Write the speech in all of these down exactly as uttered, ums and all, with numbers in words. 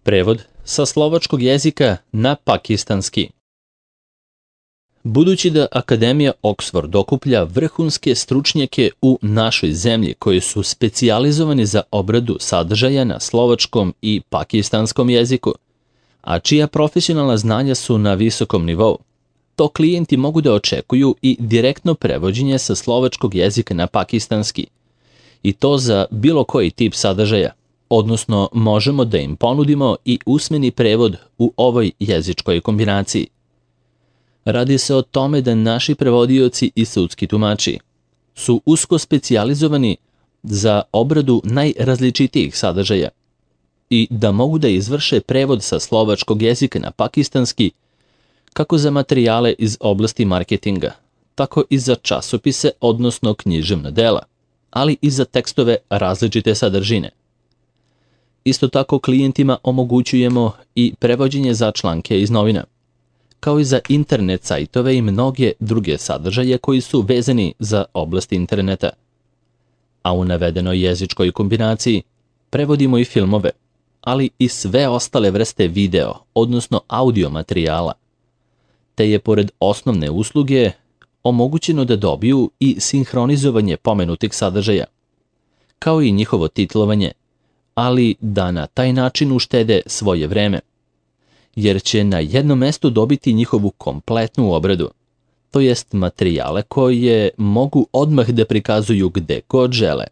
Prevod sa slovačkog jezika na pakistanski. Budući da Akademija Oxford okuplja vrhunske stručnjake u našoj zemlji koji su specijalizovani za obradu sadržaja na slovačkom i pakistanskom jeziku, a čija profesionalna znanja su na visokom nivou, to klijenti mogu da očekuju i direktno prevođenje sa slovačkog jezika na pakistanski, i to za bilo koji tip sadržaja, odnosno možemo da im ponudimo i usmeni prevod u ovoj jezičkoj kombinaciji. Radi se o tome da naši prevodioci i sudski tumači su usko specijalizovani za obradu najrazličitijih sadržaja i da mogu da izvrše prevod sa slovačkog jezika na pakistanski kako za materijale iz oblasti marketinga, tako i za časopise, odnosno književna dela, ali i za tekstove različite sadržine. Isto tako klijentima omogućujemo i prevođenje za članke iz novina, kao i za internet sajtove i mnoge druge sadržaje koji su vezani za oblast interneta. A u navedenoj jezičkoj kombinaciji prevodimo i filmove, ali i sve ostale vrste video, odnosno audio materijala, te je pored osnovne usluge omogućeno da dobiju i sinhronizovanje pomenutih sadržaja, kao i njihovo titlovanje, ali da na taj način uštede svoje vreme, jer će na jednom mestu dobiti njihovu kompletnu obradu, to jest materijale koje mogu odmah da prikazuju gde god žele.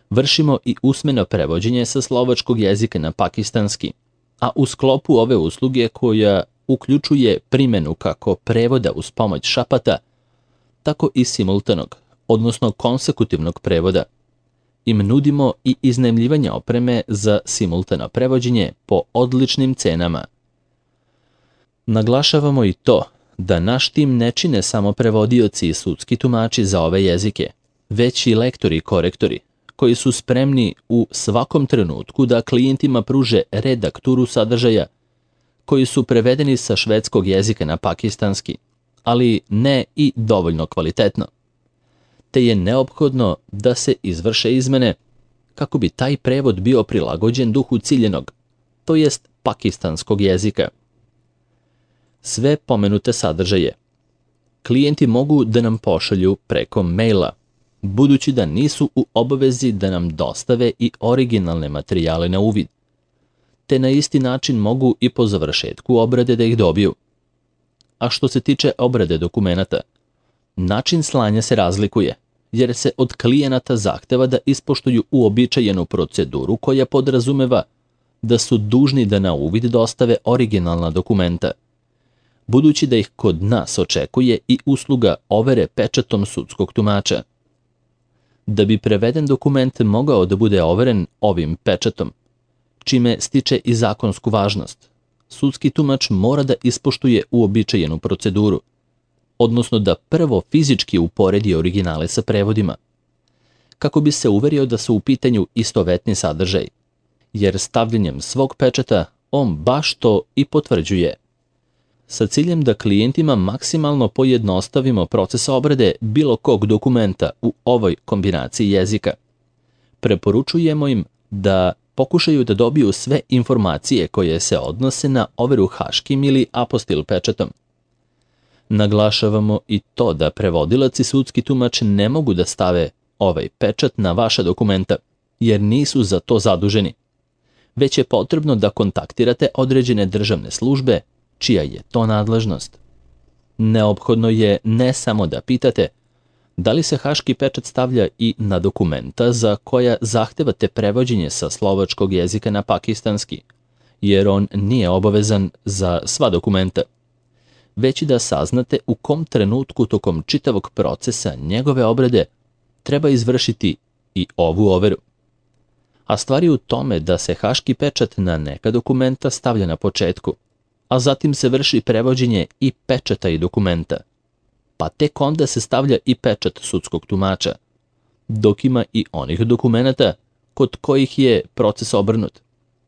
Vršimo i usmeno prevođenje sa slovačkog jezika na pakistanski, a u sklopu ove usluge koja uključuje primjenu kako prevoda uz pomoć šapata, tako i simultanog, odnosno konsekutivnog prevoda. Im nudimo i iznajmljivanje opreme za simultano prevođenje po odličnim cenama. Naglašavamo i to da naš tim ne čine samo prevodioci i sudski tumači za ove jezike, već i lektori i korektori, koji su spremni u svakom trenutku da klijentima pruže redakturu sadržaja koji su prevedeni sa švedskog jezika na pakistanski, ali ne i dovoljno kvalitetno, te je neophodno da se izvrše izmene kako bi taj prevod bio prilagođen duhu ciljenog, to jest pakistanskog jezika. Sve pomenute sadržaje klijenti mogu da nam pošalju preko maila, budući da nisu u obavezi da nam dostave i originalne materijale na uvid, te na isti način mogu i po završetku obrade da ih dobiju. A što se tiče obrade dokumenata, način slanja se razlikuje, jer se od klijenata zahteva da ispoštuju uobičajenu proceduru koja podrazumeva da su dužni da na uvid dostave originalna dokumenta, budući da ih kod nas očekuje i usluga overe pečatom sudskog tumača. Da bi preveden dokument mogao da bude overen ovim pečatom, čime stiče i zakonsku važnost, sudski tumač mora da ispoštuje uobičajenu proceduru, odnosno da prvo fizički uporedi originale sa prevodima, kako bi se uverio da su u pitanju istovetni sadržaj, jer stavljanjem svog pečata on baš to i potvrđuje. Sa ciljem da klijentima maksimalno pojednostavimo proces obrade bilo kog dokumenta u ovoj kombinaciji jezika, preporučujemo im da pokušaju da dobiju sve informacije koje se odnose na overu haškim ili apostil pečatom. Naglašavamo i to da prevodilac i sudski tumač ne mogu da stave ovaj pečat na vaša dokumenta, jer nisu za to zaduženi, već je potrebno da kontaktirate određene državne službe čija je to nadležnost. Neophodno je ne samo da pitate da li se haški pečat stavlja i na dokumenta za koja zahtevate prevođenje sa slovačkog jezika na pakistanski, jer on nije obavezan za sva dokumenta, već i da saznate u kom trenutku tokom čitavog procesa njegove obrade treba izvršiti i ovu overu. A stvar je u tome da se haški pečat na neka dokumenta stavlja na početku, a zatim se vrši prevođenje i pečata i dokumenta, pa tek onda se stavlja i pečat sudskog tumača, dok ima i onih dokumenata kod kojih je proces obrnut,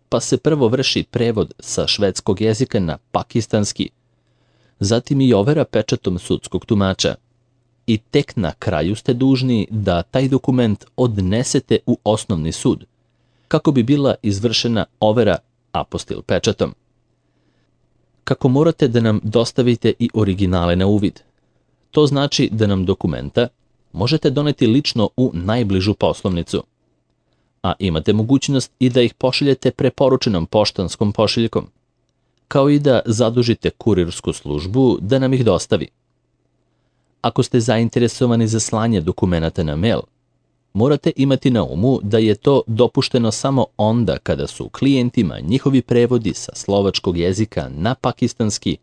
pa se prvo vrši prevod sa švedskog jezika na pakistanski, zatim i overa pečatom sudskog tumača, i tek na kraju ste dužni da taj dokument odnesete u osnovni sud, kako bi bila izvršena overa apostil pečatom. Kako morate da nam dostavite i originale na uvid. To znači da nam dokumenta možete doneti lično u najbližu poslovnicu, a imate mogućnost i da ih pošaljete preporučenom poštanskom pošiljkom, kao i da zadužite kurirsku službu da nam ih dostavi. Ako ste zainteresovani za slanje dokumenata na mail, morate imati na umu da je to dopušteno samo onda kada su klijentima njihovi prevodi sa slovačkog jezika na pakistanski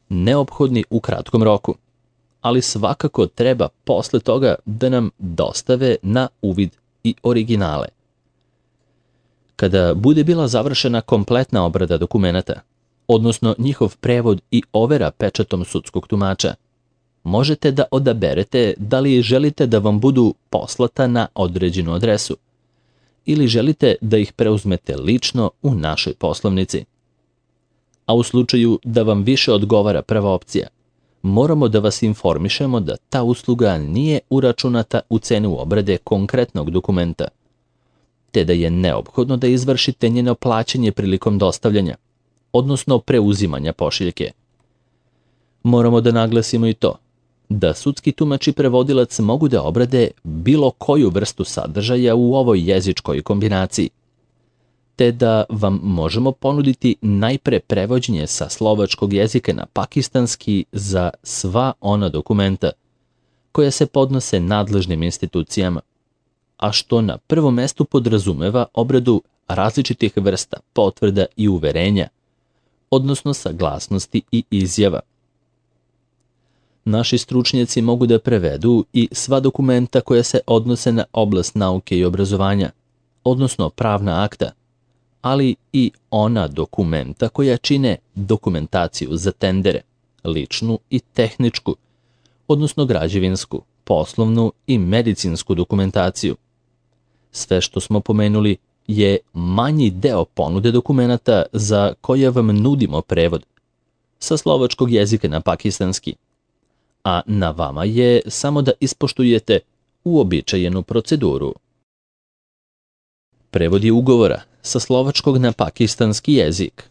neophodni u kratkom roku, ali svakako treba posle toga da nam dostave na uvid i originale. Kada bude bila završena kompletna obrada dokumenata, odnosno njihov prevod i overa pečatom sudskog tumača, možete da odaberete da li želite da vam budu poslata na određenu adresu ili želite da ih preuzmete lično u našoj poslovnici. A u slučaju da vam više odgovara prva opcija, moramo da vas informišemo da ta usluga nije uračunata u cenu obrade konkretnog dokumenta, te da je neophodno da izvršite njeno plaćanje prilikom dostavljanja, odnosno preuzimanja pošiljke. Moramo da naglasimo i to da sudski tumač i prevodilac mogu da obrade bilo koju vrstu sadržaja u ovoj jezičkoj kombinaciji, te da vam možemo ponuditi najpre prevođenje sa slovačkog jezika na pakistanski za sva ona dokumenta koja se podnose nadležnim institucijama, a što na prvom mestu podrazumeva obradu različitih vrsta potvrda i uverenja, odnosno saglasnosti i izjava. Naši stručnjaci mogu da prevedu i sva dokumenta koja se odnose na oblast nauke i obrazovanja, odnosno pravna akta, ali i ona dokumenta koja čine dokumentaciju za tendere, ličnu i tehničku, odnosno građevinsku, poslovnu i medicinsku dokumentaciju. Sve što smo pomenuli je manji deo ponude dokumenata za koje vam nudimo prevod sa slovačkog jezika na pakistanski, a na vama je samo da ispoštujete uobičajenu proceduru. Prevodi ugovora sa slovačkog na pakistanski jezik.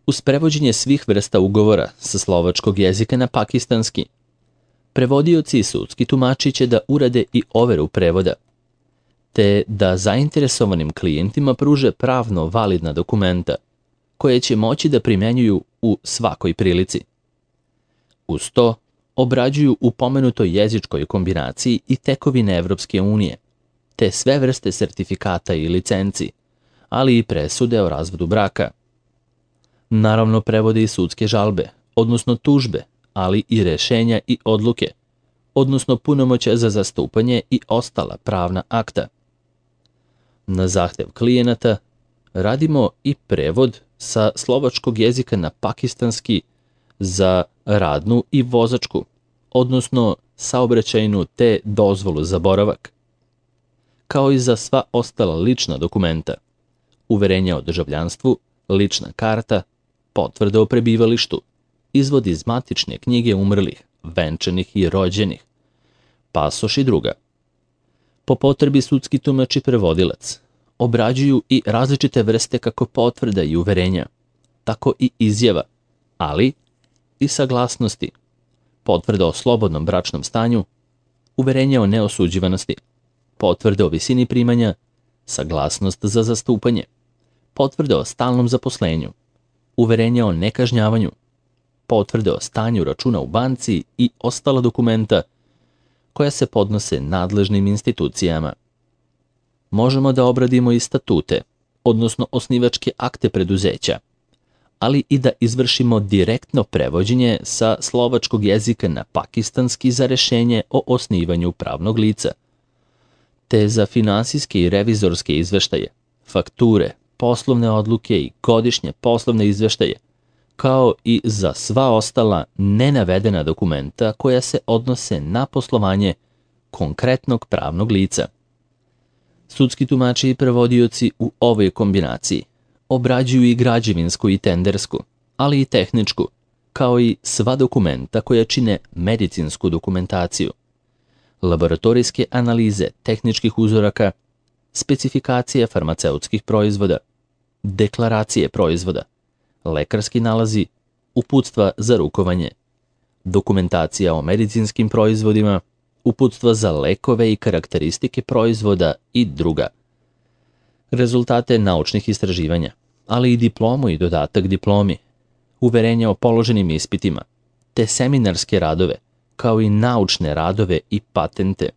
Uz prevođenje svih vrsta ugovora sa slovačkog jezika na pakistanski, prevodioci i sudski tumači će da urade i overu prevoda, te da zainteresovanim klijentima pruže pravno validna dokumenta, koje će moći da primenjuju u svakoj prilici. Uz to, obrađuju u pomenutoj jezičkoj kombinaciji i tekovine Evropske unije, te sve vrste sertifikata i licenci, ali i presude o razvodu braka. Naravno, prevode i sudske žalbe, odnosno tužbe, ali i rešenja i odluke, odnosno punomoćja za zastupanje i ostala pravna akta. Na zahtev klijenata radimo i prevod sa slovačkog jezika na pakistanski za radnu i vozačku, odnosno saobraćajnu te dozvolu za boravak, kao i za sva ostala lična dokumenta, uverenja o državljanstvu, lična karta, potvrda o prebivalištu, izvod iz matične knjige umrlih, venčanih i rođenih, pasoš i druga. Po potrebi sudski tumač i prevodilac obrađuju i različite vrste kako potvrda i uverenja, tako i izjava, ali i saglasnosti, potvrda o slobodnom bračnom stanju, uverenje o neosuđivanosti, potvrde o visini primanja, saglasnost za zastupanje, potvrde o stalnom zaposlenju, uverenje o nekažnjavanju, potvrde o stanju računa u banci i ostala dokumenta koja se podnose nadležnim institucijama. Možemo da obradimo i statute, odnosno osnivačke akte preduzeća, ali i da izvršimo direktno prevođenje sa slovačkog jezika na pakistanski za rešenje o osnivanju pravnog lica, te za finansijske i revizorske izveštaje, fakture, poslovne odluke i godišnje poslovne izveštaje, kao i za sva ostala nenavedena dokumenta koja se odnose na poslovanje konkretnog pravnog lica. Sudski tumači i prevodioci u ovoj kombinaciji obrađuju i građevinsku i tendersku, ali i tehničku, kao i sva dokumenta koja čine medicinsku dokumentaciju, laboratorijske analize tehničkih uzoraka, specifikacije farmaceutskih proizvoda, deklaracije proizvoda, lekarski nalazi, uputstva za rukovanje, dokumentacija o medicinskim proizvodima, uputstva za lekove i karakteristike proizvoda i druga. Rezultate naučnih istraživanja, ali i diplomu i dodatak diplomi, uverenja o položenim ispitima, te seminarske radove, kao i naučne radove i patente.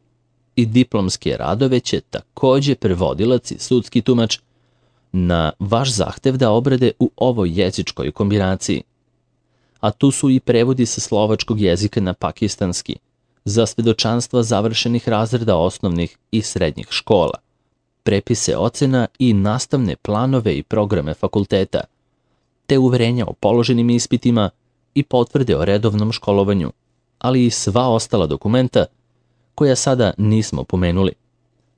I diplomske radove će takođe prevodilac i sudski tumač na vaš zahtev da obrade u ovoj jezičkoj kombinaciji. A tu su i prevodi sa slovačkog jezika na pakistanski, za svedočanstva završenih razreda osnovnih i srednjih škola, prepise ocena i nastavne planove i programe fakulteta, te uverenja o položenim ispitima i potvrde o redovnom školovanju, ali i sva ostala dokumenta koja sada nismo pomenuli,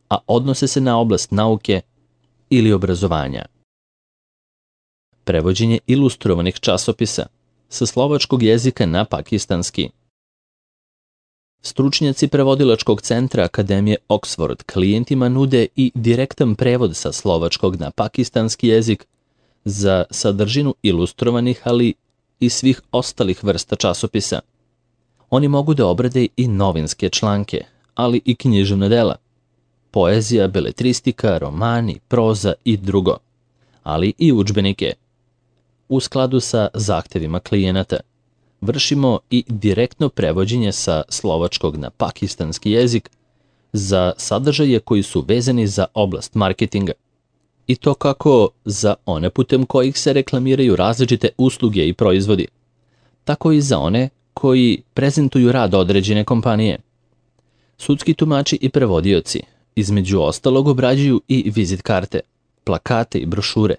a odnose se na oblast nauke ili obrazovanja. Prevođenje ilustrovanih časopisa sa slovačkog jezika na pakistanski. Stručnjaci prevodilačkog centra Akademije Oxford klijentima nude i direktan prevod sa slovačkog na pakistanski jezik za sadržinu ilustrovanih, ali i svih ostalih vrsta časopisa. Oni mogu da obrade i novinske članke, ali i književna dela, poezija, beletristika, romani, proza i drugo, ali i udžbenike. U skladu sa zahtevima klijenata, vršimo i direktno prevođenje sa slovačkog na pakistanski jezik za sadržaje koji su vezani za oblast marketinga. I to kako za one putem kojih se reklamiraju različite usluge i proizvodi, tako i za one koji prezentuju rad određene kompanije. Sudski tumači i prevodioci, između ostalog, obrađuju i vizit karte, plakate i brošure,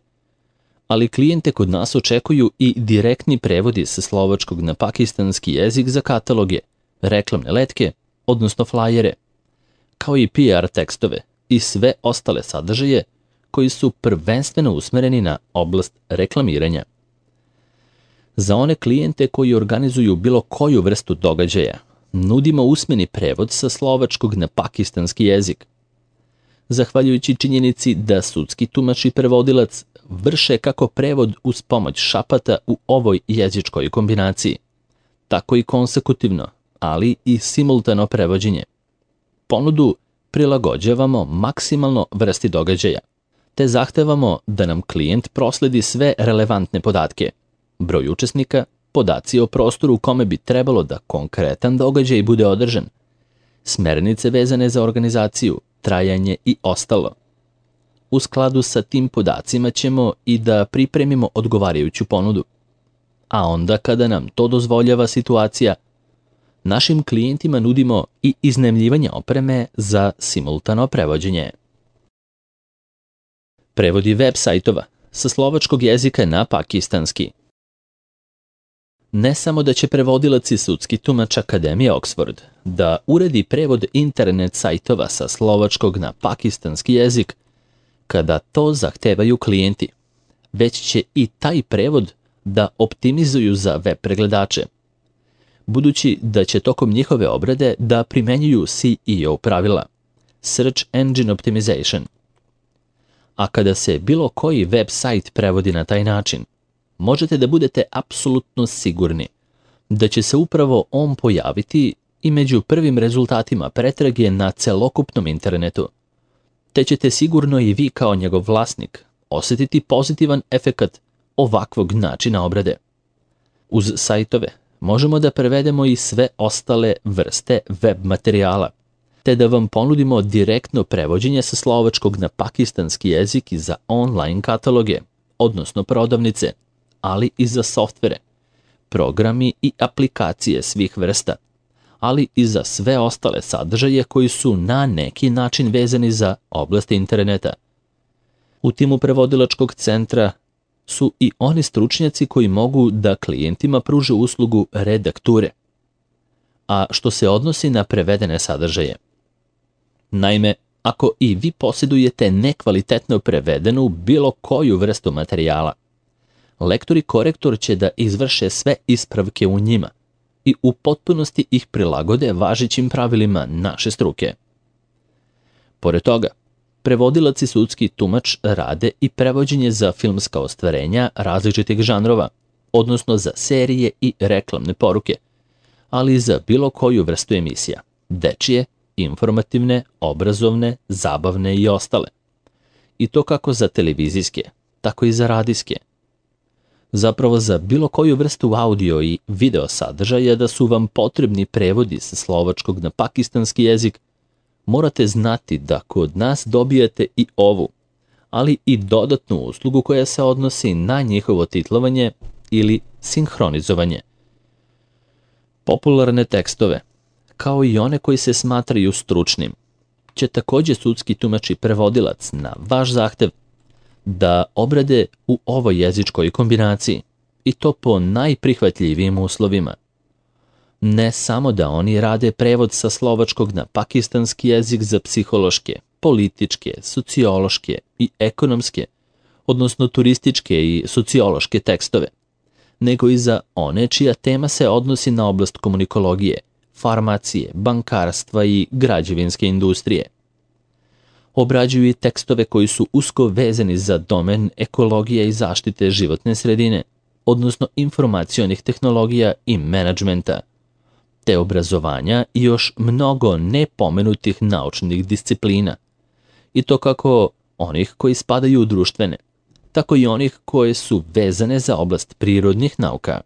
ali klijente kod nas očekuju i direktni prevodi sa slovačkog na pakistanski jezik za kataloge, reklamne letke, odnosno flajere, kao i P R tekstove i sve ostale sadržaje koji su prvenstveno usmereni na oblast reklamiranja. Za one klijente koji organizuju bilo koju vrstu događaja, nudimo usmeni prevod sa slovačkog na pakistanski jezik. Zahvaljujući činjenici da sudski tumač i prevodilac vrše kako prevod uz pomoć šapata u ovoj jezičkoj kombinaciji, tako i konsekutivno, ali i simultano prevođenje. Ponudu prilagođavamo maksimalno vrsti događaja, te zahtevamo da nam klijent prosledi sve relevantne podatke, broj učesnika, podaci o prostoru u kome bi trebalo da konkretan događaj bude održan, smernice vezane za organizaciju, trajanje i ostalo. U skladu sa tim podacima ćemo i da pripremimo odgovarajuću ponudu. A onda kada nam to dozvoljava situacija, našim klijentima nudimo i iznajmljivanje opreme za simultano prevođenje. Prevodi web sajtova sa slovačkog jezika na pakistanski. Ne samo da će prevodilac i sudski tumač Akademije Oxford da uredi prevod internet sajtova sa slovačkog na pakistanski jezik kada to zahtevaju klijenti, već će i taj prevod da optimizuju za web pregledače, budući da će tokom njihove obrade da primenjuju C E O pravila, Search Engine Optimization. A kada se bilo koji web sajt prevodi na taj način, možete da budete apsolutno sigurni da će se upravo on pojaviti i među prvim rezultatima pretrage na celokupnom internetu, te ćete sigurno i vi kao njegov vlasnik osjetiti pozitivan efekat ovakvog načina obrade. Uz sajtove možemo da prevedemo i sve ostale vrste web materijala, te da vam ponudimo direktno prevođenje sa slovačkog na pakistanski jezik i za online kataloge, odnosno prodavnice, ali i za softvere, programi i aplikacije svih vrsta, ali i za sve ostale sadržaje koji su na neki način vezani za oblast interneta. U timu prevodilačkog centra su i oni stručnjaci koji mogu da klijentima pruže uslugu redakture, a što se odnosi na prevedene sadržaje. Naime, ako i vi posjedujete nekvalitetno prevedenu bilo koju vrstu materijala, lektor i korektor će da izvrše sve ispravke u njima i u potpunosti ih prilagode važećim pravilima naše struke. Pored toga, Prevodilac i sudski tumač rade i prevođenje za filmska ostvarenja različitih žanrova, odnosno za serije i reklamne poruke, ali i za bilo koju vrstu emisija, dečije, informativne, obrazovne, zabavne i ostale. I to kako za televizijske, tako i za radijske. Zapravo za bilo koju vrstu audio i video sadržaja da su vam potrebni prevodi sa slovačkog na pakistanski jezik, morate znati da kod nas dobijate i ovu, ali i dodatnu uslugu koja se odnosi na njihovo titlovanje ili sinhronizovanje. Popularne tekstove, kao i one koji se smatraju stručnim, će također sudski tumač i prevodilac na vaš zahtev da obrade u ovoj jezičkoj kombinaciji, i to po najprihvatljivijim uslovima. Ne samo da oni rade prevod sa slovačkog na pakistanski jezik za psihološke, političke, sociološke i ekonomske, odnosno turističke i sociološke tekstove, nego i za one čija tema se odnosi na oblast komunikologije, farmacije, bankarstva i građevinske industrije. Obrađuju i tekstove koji su usko vezani za domen ekologije i zaštite životne sredine, odnosno informacionih tehnologija i menadžmenta, te obrazovanja i još mnogo nepomenutih naučnih disciplina, i to kako onih koji spadaju u društvene, tako i onih koje su vezane za oblast prirodnih nauka.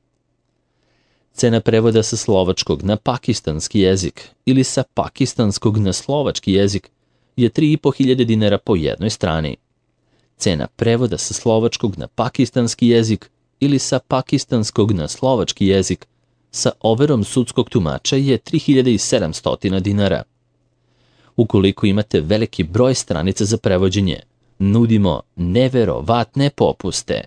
Cena prevoda sa slovačkog na pakistanski jezik ili sa pakistanskog na slovački jezik je tri i po hiljade dinara po jednoj strani. Cena prevoda sa slovačkog na pakistanski jezik ili sa pakistanskog na slovački jezik sa overom sudskog tumača je tri hiljade sedamsto dinara. Ukoliko imate veliki broj stranica za prevođenje, nudimo neverovatne popuste.